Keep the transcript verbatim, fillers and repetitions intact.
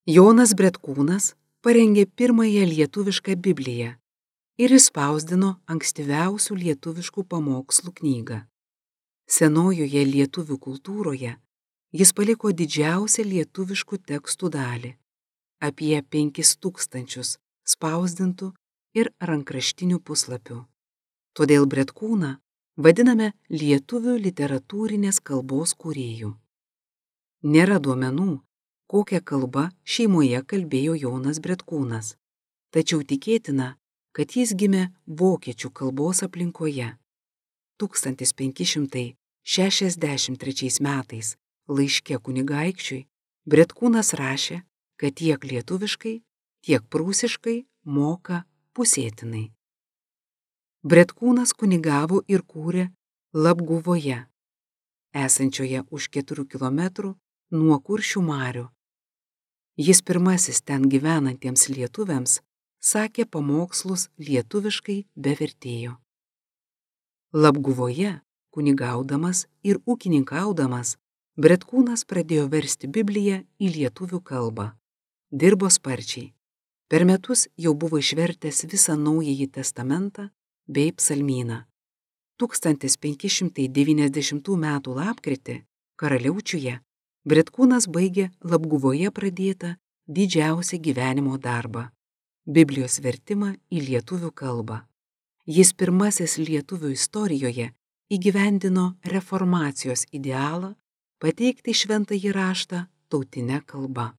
Jonas Bretkūnas parengė pirmąją lietuvišką Bibliją ir išspausdino ankstyviausių lietuviškų pamokslų knygą. Senojoje lietuvių kultūroje jis paliko didžiausią lietuviškų tekstų dalį – apie penkis tūkstančius spausdintų ir rankraštinių puslapių. Todėl Bretkūną vadiname lietuvių literatūrinės kalbos kūrėju. Nėra duomenų, kokią kalbą šeimoje kalbėjo Jonas Bretkūnas, tačiau tikėtina, kad jis gimė vokiečių kalbos aplinkoje. tūkstantis penki šimtai šešiasdešimt trečiais metais laiške kunigaikščiui Bretkūnas rašė, kad tiek lietuviškai, tiek prūsiškai moka pusėtinai. Bretkūnas kunigavo ir kūrė Labguvoje, esančioje už keturių kilometrų nuo Kuršių marių. Jis pirmasis ten gyvenantiems lietuviams sakė pamokslus lietuviškai be vertėjo. Labguvoje, kunigaudamas ir ūkininkaudamas, Bretkūnas pradėjo versti Bibliją į lietuvių kalbą. Dirbo sparčiai. Per metus jau buvo išvertęs visą Naująjį testamentą bei psalmyną. tūkstantis penki šimtai devyniasdešimtų metų lapkritį Karaliaučiuje Bretkūnas baigė Labguvoje pradėtą didžiausią gyvenimo darbą – Biblijos vertimą į lietuvių kalbą. Jis pirmasis lietuvių istorijoje įgyvendino reformacijos idealą pateikti šventąjį raštą tautine kalba.